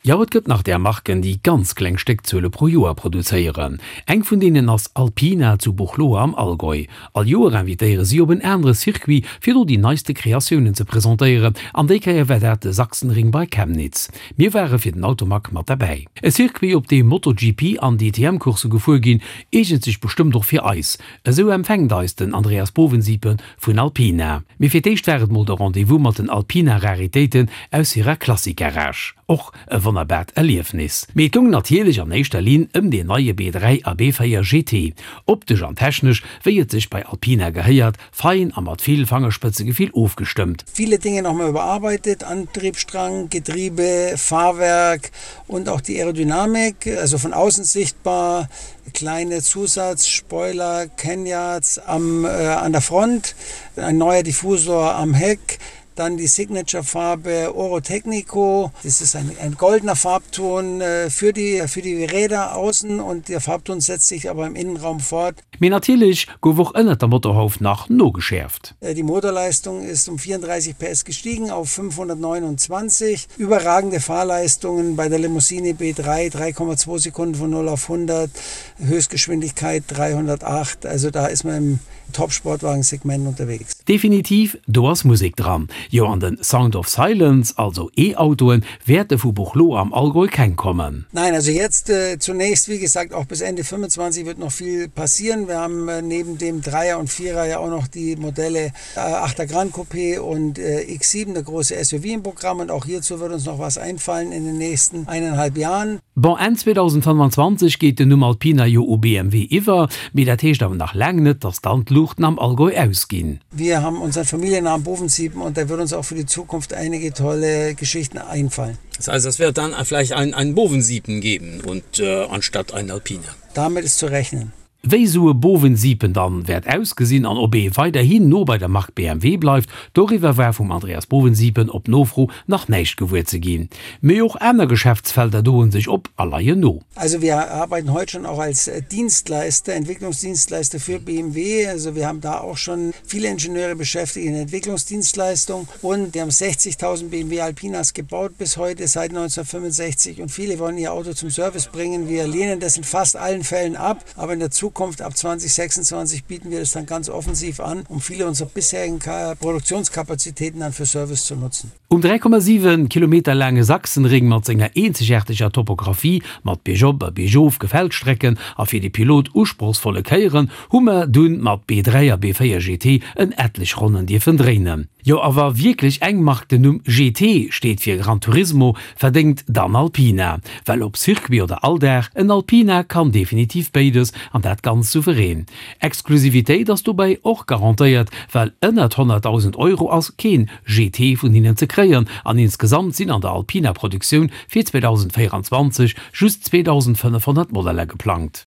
Jo, et gëtt nach där Marken, déi ganz kleng Stéckzuele pro Joer produzéieren. Eng vun deenen ass Alpina zu Buchloe am Allgäu. All Joer invitéiere si op en anere Circuit, fir do déi neiste Kreatiounen ze presentéieren. An déi Kéier war dat de Sachsenring bei Chemnitz. Mir ware fir den Automag mat derbäi. E Circuit, op deem MotoGP an DTM-Coursse gefuer ginn, eegent sech bestëmmt och fir eis. Esou empfänkt eis den Andreas Bovensiepen vun Alpina. Mee fir d'éischt war et mol de Rendez-vous mat den Alpina-Raritéiten aus hirer Classic-Garage. Och e wonnerbart Erliefnis. Mee et goung natierlech an éischter Linn ëm deen neie B3 a B4 GT. Optesch an technesch, wéi et sech bei Alpina gehéiert, fein a mat vill Fangerspëtzegefill ofgestëmmt. Viele Dinge nochmal überarbeitet, Antriebsstrang, Getriebe, Fahrwerk und auch die Aerodynamik, also von außen sichtbar, kleine Zusatzspoiler, Kenyards am, äh, an der Front, ein neuer Diffusor am Heck, dann die Signature-Farbe Oro Tecnico. Das ist ein, ein goldener Farbton äh, für die, für die Räder außen und der Farbton setzt sich aber im Innenraum fort. Mee natierlech gouf och ënnert der Motorhauf nach nogeschäerft. Äh, die Motorleistung ist um 34 PS gestiegen auf 529. Überragende Fahrleistungen bei der Limousine B3 3,2 Sekunden von 0 auf 100, Höchstgeschwindigkeit 308. Also da ist man im Top-Sportwagensegment unterwegs. Definitiv, do ass Musek dran. Jo an den Sound of Silence, also E-Autoen, wäerte vu Buchloe am Allgäu keng kommen. Nein, also jetzt äh, zunächst, wie gesagt, auch bis Ende 25 wird noch viel passieren. Wir haben äh, neben dem Dreier und Vierer ja auch noch die Modelle äh, 8er Grand Coupé und äh, X7, der große SUV im Programm und auch hierzu wird uns noch was einfallen in den nächsten eineinhalb Jahren. Bon, Enn 2025 geet den Numm Alpina jo u BMW iwwer, mee dat heescht awer nach laang net, datt dann d'Luuchten am Allgäu ausginn. Wir haben unseren Familiennamen Bovensiepen und da wird uns auch für die Zukunft einige tolle Geschichten einfallen. Das heißt, es wird dann vielleicht ein, ein Bovensiepen geben und äh, anstatt ein Alpina. Damit ist zu rechnen. Wéi esou e Bovensiepen dann wäert ausgesinn an ob ee weiderhin no bei der Mark BMW bleift, doriwwer war vum Andreas Bovensiepen op Nofro nach näischt gewuer ze ginn. Mee och aner Geschäftsfelder doen sech op a leien no. Also wir arbeiten heute schon auch als Dienstleister, Entwicklungsdienstleister für BMW. Also wir haben da auch schon viele Ingenieure beschäftigt in Entwicklungsdienstleistung und wir haben 60.000 BMW Alpinas gebaut bis heute seit 1965 und viele wollen ihr Auto zum Service bringen. Wir lehnen das in fast allen Fällen ab, aber in der Zukunft ab 2026 bieten wir das dann ganz offensiv an, um viele unserer bisherigen Produktionskapazitäten dann für Service zu nutzen. Um 3,7 Kilometer laange Sachsenring mat senger eenzegaarteger Topographie, mat biergop a biergof Gefällstrecken a fir de Pilot usprochsvolle Kéieren, hu mer dunn mat B3 a B4 GT en etlech Ronnen dierfen dréinen. Jo a wa wierklech eng Mark den Numm GT, steet fir Gran Turismo, verdéngt, dann Alpina. Well ob Circuit oder Alldag, en Alpina kann definitiv béides an dat ganz souverän. Exklusivitéit ass dobäi och garantéiert, well ënnert 100.000 Euro ass keen GT vun hinnen ze kréien an insgesamt sinn an der Alpina-Produktioun fir 2024 just 2.500 Modeller geplangt.